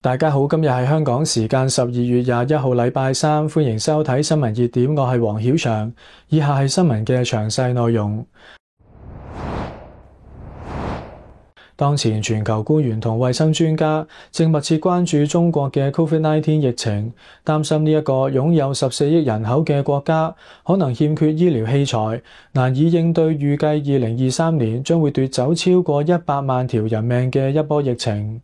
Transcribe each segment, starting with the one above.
大家好，今日係香港時間12月21號禮拜三，歡迎收睇新聞熱點，我係黃曉翔。以下係新聞嘅詳細內容。當前全球官員同衛生專家正密切關注中國嘅 COVID-19 疫情，擔心呢一個擁有14億人口嘅國家可能欠缺醫療器材，難以應對預計2023年將會奪走超過100萬條人命嘅一波疫情。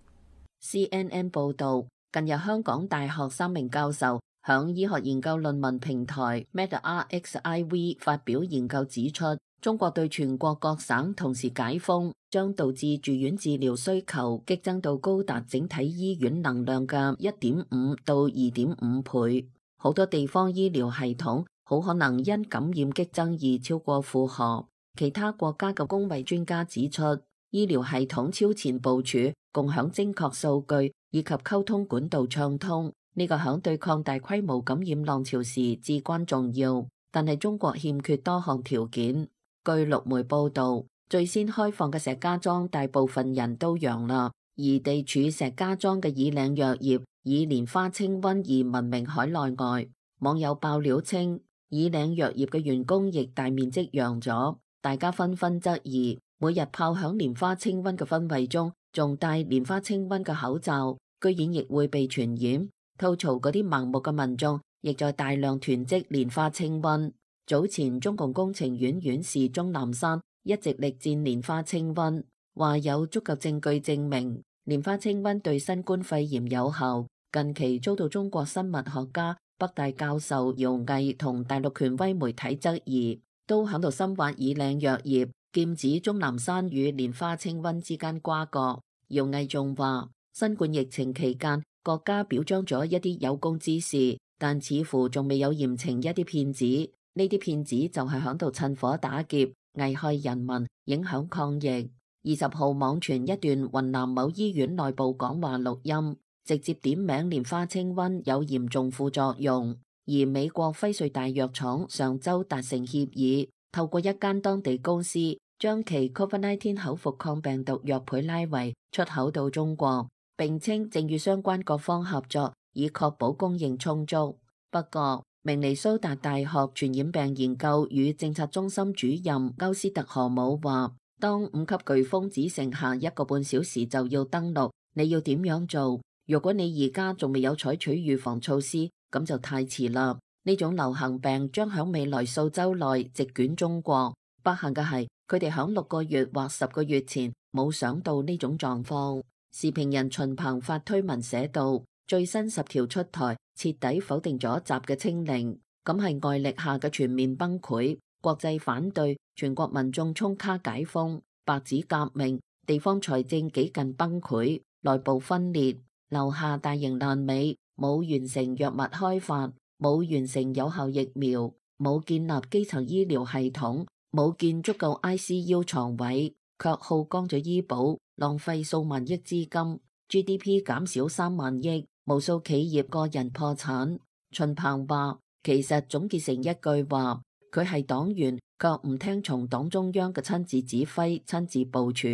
CNN 報導，近日香港大學3名教授響醫學研究論文平台 medRxiv 發表研究指出，中國對全國各省同時解封，將導致住院治療需求激增到高達整體醫院能量嘅1.5到2.5倍。好多地方醫療系統好可能因感染激增而超過負荷。其他國家嘅公衛專家指出，醫療系統超前部署，共享精確數據以及溝通管道暢通，呢個響對抗大規模感染浪潮時至關重要。但係中國欠缺多項條件。據陸媒報導，最先開放嘅石家莊大部分人都陽啦，而地處石家莊嘅以嶺藥業以蓮花清瘟而聞名海內外。網友爆料稱，以嶺藥業嘅員工亦大面積陽咗，大家紛紛質疑，每日泡響蓮花清瘟嘅氛圍中，仲戴蓮花清瘟嘅口罩，居然亦會被傳染。吐槽嗰啲盲目嘅民眾，亦在大量囤積蓮花清瘟。早前中共工程院院士鍾南山一直力戰蓮花清瘟，話有足夠證據證明蓮花清瘟對新冠肺炎有效。近期遭到中國生物學家、北大教授姚毅同大陸權威媒體質疑，都響度深挖以嶺藥業，劍指鍾南山與蓮花清瘟之間瓜葛。姚毅仲話，新冠疫情期間，國家表彰咗一啲有功之士，但似乎仲未有嚴懲一啲騙子。呢啲騙子就係響度趁火打劫，危害人民，影響抗疫。20號網傳一段雲南某醫院內部講話錄音，直接點名蓮花清瘟有嚴重副作用。而美國輝瑞大藥廠上週達成協議，透過一間當地公司將其 COVID-19 口服抗病毒藥倍拉維出口到中國，並稱正與相關各方合作，以確保供應充足。不過，明尼蘇達大學傳染病研究與政策中心主任歐斯特荷姆話，當5級颶風只剩下1個半小時就要登陸，你要點樣做？如果你而家仲未有採取預防措施，咁就太遲啦。呢種流行病將響未來數週內席捲中國。不幸嘅係，佢哋響6個月或10個月前冇想到呢種狀況。時評人秦鵬發推文寫道，最新10條出台，徹底否定咗習嘅清零，咁係外力下嘅全面崩潰。國際反對，全國民眾衝卡解封，白紙革命，地方財政幾近崩潰，內部分裂，留下大型爛尾，冇完成藥物開發，冇完成有效疫苗，冇建立基層醫療系統，冇建足夠 ICU 床位，卻耗光咗醫保，浪費數萬億資金 ，GDP 減少3萬億。無數企業個人破產。秦鵬話，其實總結成一句話，佢係黨員，卻唔聽從黨中央嘅親自指揮、親自部署。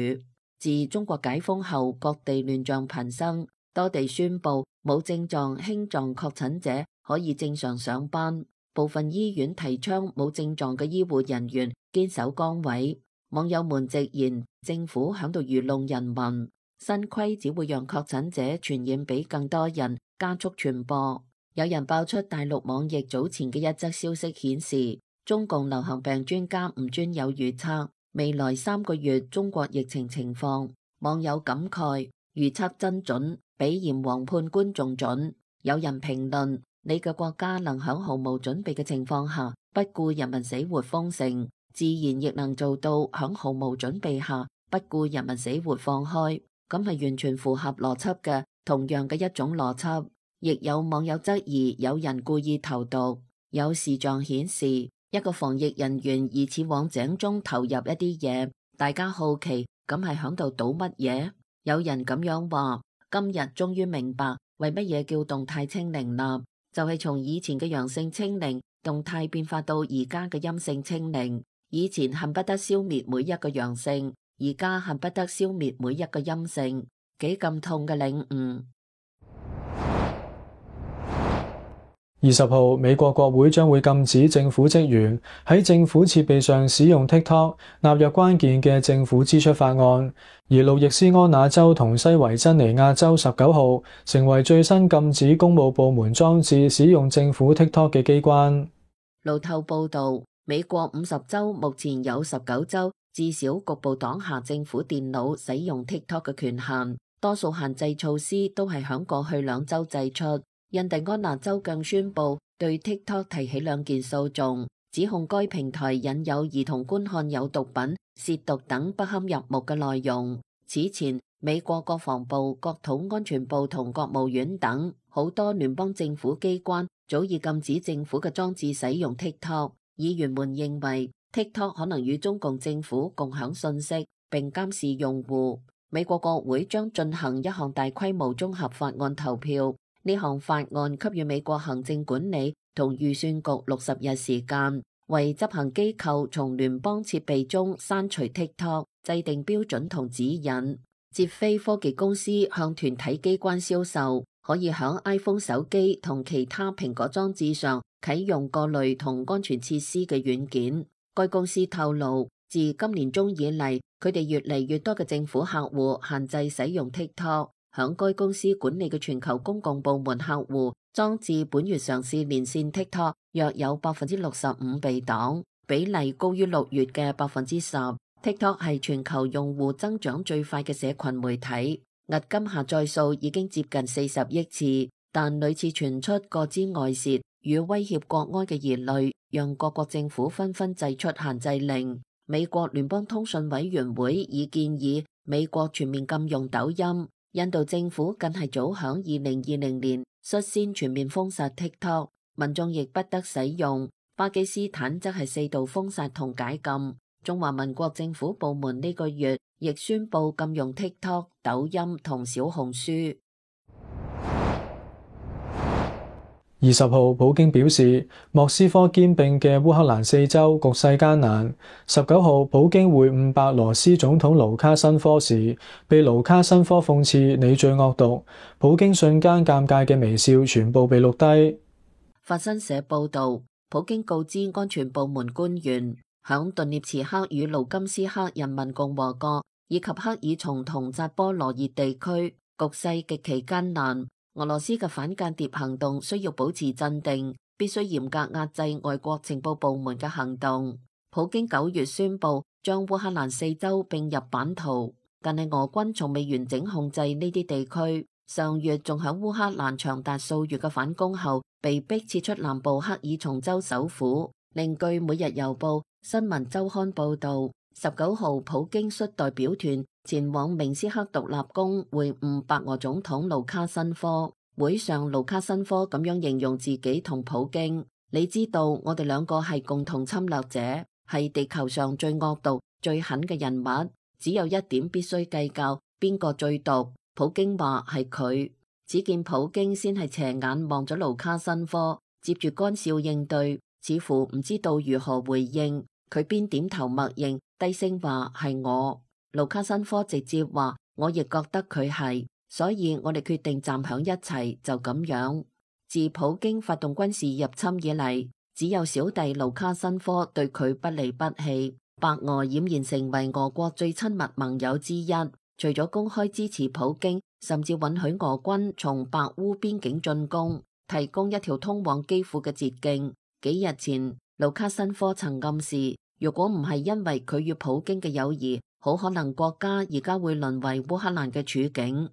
自中國解封後，各地亂象頻生，多地宣布冇症狀、輕狀確診者可以正常上班。部分醫院提倡冇症狀嘅醫護人員堅守崗位。網友們直言，政府響度愚弄人民。新規只會讓確診者傳染俾更多人，加速傳播。有人爆出大陸網易早前嘅一則消息顯示，中共流行病專家吳尊有預測未來3個月中國疫情情況。網友感慨，預測真準，比閻王判官仲準。有人評論，你嘅國家能響毫無準備嘅情況下不顧人民死活封城，自然亦能做到響毫無準備下不顧人民死活放開。咁係完全符合邏輯嘅，同樣嘅一種邏輯。亦有網友質疑有人故意投毒。有視像顯示一個防疫人員疑似往井中投入一啲嘢，大家好奇咁係響度倒乜嘢？有人咁樣話，今日終於明白為乜嘢叫動態清零啦，就係從以前嘅陽性清零動態變化到而家嘅陰性清零。以前恨不得消滅每一個陽性，而家恨不得消滅每一個陰性，幾咁痛嘅領悟。20號，美國國會將會禁止政府職員喺政府設備上使用 TikTok， 納入關鍵嘅政府支出法案。而路易斯安那州同西維珍尼亞州19號成為最新禁止公務部門裝置使用政府 TikTok 嘅機關。路透報道，美國50州目前有19州至少局部擋下政府電腦使用 TikTok 嘅權限，多數限制措施都係響過去2週祭出。印第安納州更宣布對 TikTok 提起2件訴訟，指控該平台引誘兒童觀看有毒品、褻瀆等不堪入目嘅內容。此前，美國國防部、國土安全部同國務院等好多聯邦政府機關早已禁止政府嘅裝置使用 TikTok。議員們認為 TikTok 可能與中共政府共享信息並監視用戶。美國國會將進行一項大規模綜合法案投票。呢項法案給予美國行政管理同預算局60日時間，為執行機構從聯邦設備中刪除 TikTok 制定標準同指引。接飛科技公司向團體機關銷售，可以響 iPhone 手機同其他蘋果裝置上啟用過濾同安全設施嘅軟件。該公司透露，自今年中以嚟，佢哋越嚟越多嘅政府客戶限制使用 TikTok。響該公司管理嘅全球公共部門客戶裝置本月嘗試連線 TikTok， 約有 65% 被擋，比例高於6月嘅 10%。TikTok 係全球用戶增長最快嘅社群媒體，迄今下載數已經接近40億次，但屢次傳出個資外洩與威脅國安嘅言論，讓各國政府紛紛祭出限制令。美國聯邦通訊委員會已建議美國全面禁用抖音。印度政府更係早響2020年率先全面封殺 TikTok， 民眾亦不得使用。巴基斯坦則係4度封殺同解禁。中華民國政府部門呢個月亦宣布禁用 TikTok、抖音同小紅書。20號，普京表示，莫斯科兼併嘅烏克蘭4州局勢艱難。19號，普京會晤白羅斯總統盧卡申科時，被盧卡申科諷刺你最惡毒，普京瞬間尷尬嘅微笑全部被錄低。法新社報導，普京告知安全部門官員，響頓涅茨克與盧甘斯克人民共和國以及克爾松同扎波羅熱地區，局勢極其艱難。俄羅斯嘅反間諜行動需要保持鎮定，必須嚴格壓制外國情報部門嘅行動。普京9月宣布將烏克蘭4州併入版圖，但係俄軍從未完整控制呢啲地區。上月仲喺烏克蘭長達數月嘅反攻後，被逼撤出南部克爾松州首府。另據每日郵報、新聞週刊報導，19號普京率代表團前往明斯克獨立宮會晤白俄總統盧卡申科。會上盧卡申科咁樣形容自己同普京：你知道我哋2個係共同侵略者，係地球上最惡毒、最狠嘅人物。只有一點必須計較，邊個最毒？普京話係佢。只見普京先係斜眼望咗盧卡申科，接住乾笑應對，似乎唔知道如何回應。佢邊點頭默認，低聲話係我。盧卡申科直接話：我亦覺得佢係，所以我哋決定站響一齊，就咁樣。自普京發動軍事入侵以嚟，只有小弟盧卡申科對佢不離不棄。白俄儼然成為俄國最親密盟友之一。除咗公開支持普京，甚至允許俄軍從白烏邊境進攻，提供一條通往基輔嘅捷徑。幾日前，盧卡申科曾暗示，如果唔係因為佢與普京嘅友誼，好可能國家而家會淪為烏克蘭嘅處境。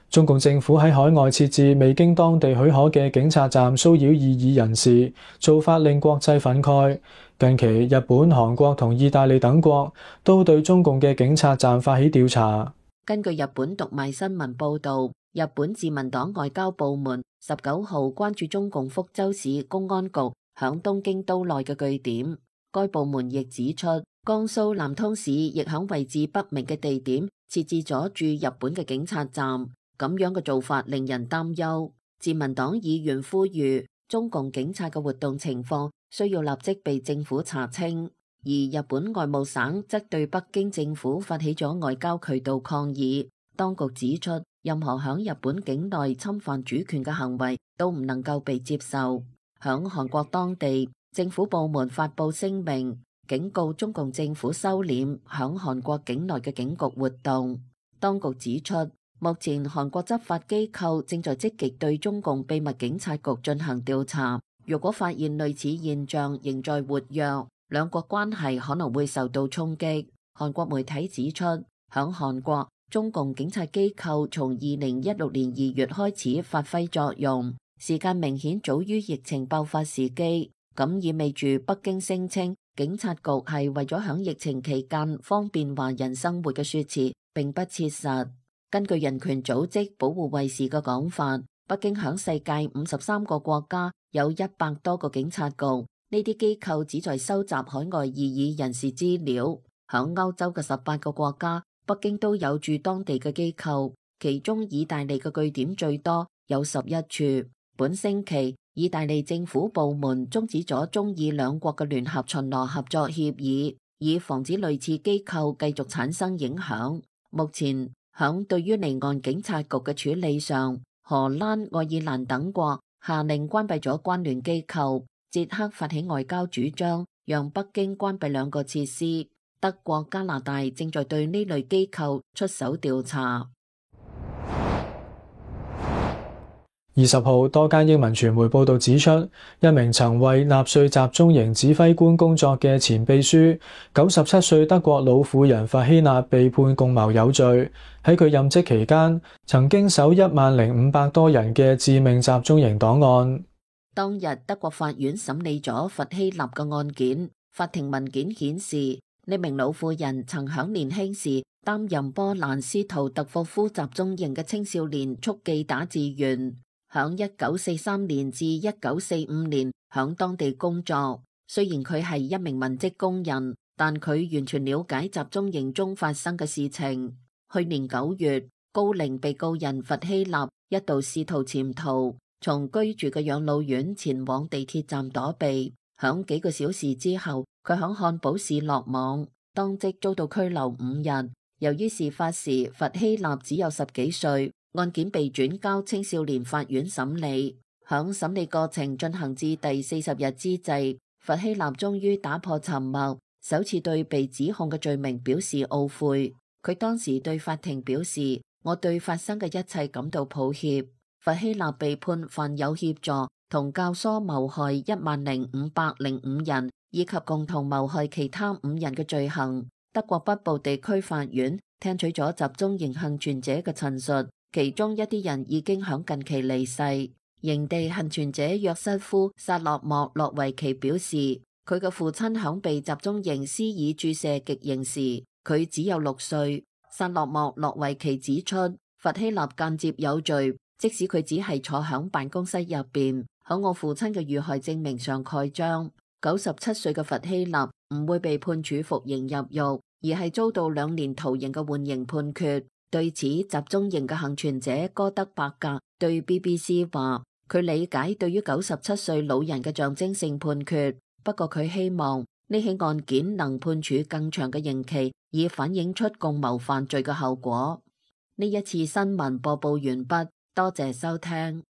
中共政府喺海外設置未經當地許可嘅警察站騷擾異議人士，做法令國際憤慨。近期，日本、韓國同意大利等國都對中共嘅警察站發起調查。根據日本讀賣新聞報導，日本自民黨外交部門19號關注中共福州市公安局響東京都內嘅據點。該部門亦指出，江蘇南通市亦響位置不明嘅地點設置咗駐日本嘅警察站，咁樣嘅做法令人擔憂。自民黨議員呼籲中共警察嘅活動情況需要立即被政府查清，而日本外務省則對北京政府發起咗外交渠道抗議。當局指出，任何響日本境內侵犯主權嘅行為都唔能夠被接受。響韓國當地，政府部門發佈聲明，警告中共政府收斂響韓國境內嘅警局活動。當局指出，目前韓國執法機構正在積極對中共秘密警察局進行調查，如果發現類似現象仍在活躍，兩國關係可能會受到衝擊。韓國媒體指出，響韓國，中共警察機構從2016年2月開始發揮作用，時間明顯早於疫情爆發時機，咁意味住北京聲稱警察局係為咗響疫情期間方便華人生活嘅說辭並不切實。根據人權組織保護衛士嘅講法，北京響世界53個國家有100多個警察局，呢啲機構旨在收集海外異議人士資料。響歐洲嘅18個國家，北京都有駐當地嘅機構，其中意大利嘅據點最多，有11處。本星期，意大利政府部門終止咗中意兩國嘅聯合巡邏合作協議，以防止類似機構繼續產生影響。目前，響對於離岸警察局嘅處理上，荷蘭、愛爾蘭等國下令關閉咗關聯機構，捷克發起外交主張，讓北京關閉2個設施。德國、加拿大正在對呢類機構出手調查。20號，多間英文傳媒報道指出，一名曾為納粹集中營指揮官工作嘅前秘書，97歲德國老婦人弗希納被判共謀有罪。喺佢任職期間，曾經搜10500多人嘅致命集中營檔案。當日，德國法院審理咗弗希納嘅案件。法庭文件顯示，呢名老婦人曾響年輕時擔任波蘭斯圖特霍夫集中營嘅青少年速記打字員，響1943年至1945年響當地工作。雖然佢係一名文職工人，但佢完全了解集中營中發生嘅事情。去年9月，高齡被告人弗希納一度試圖潛逃，從居住嘅養老院前往地鐵站躲避。響幾個小時之後，佢響漢堡市落網，當即遭到拘留5日。由於事發時弗希納只有10幾歲，案件被轉交青少年法院審理。響審理過程進行至第40日之際，弗希納終於打破沉默，首次對被指控嘅罪名表示懊悔。佢當時對法庭表示：我對發生嘅一切感到抱歉。弗希納被判犯有協助同教唆謀害10505人，以及共同謀害其他5人嘅罪行。德國北部地區法院聽取咗集中營幸存者嘅陳述，其中一啲人已經響近期離世。營地幸存者約瑟夫·薩洛莫洛維奇表示，佢嘅父親響被集中營施以注射極刑時，佢只有6歲。薩洛莫洛維奇指出，弗希納間接有罪，即使佢只係坐響辦公室入邊，響我父親嘅遇害證明上蓋章。97歲嘅弗希納唔會被判處服刑入獄，而係遭到2年徒刑嘅緩刑判決。對此，集中營嘅幸存者哥德伯格對 BBC 話，佢理解對於97歲老人嘅象徵性判決，不過佢希望呢起案件能判處更長嘅刑期，以反映出共謀犯罪嘅後果。呢一次新聞播報完畢，多謝收聽。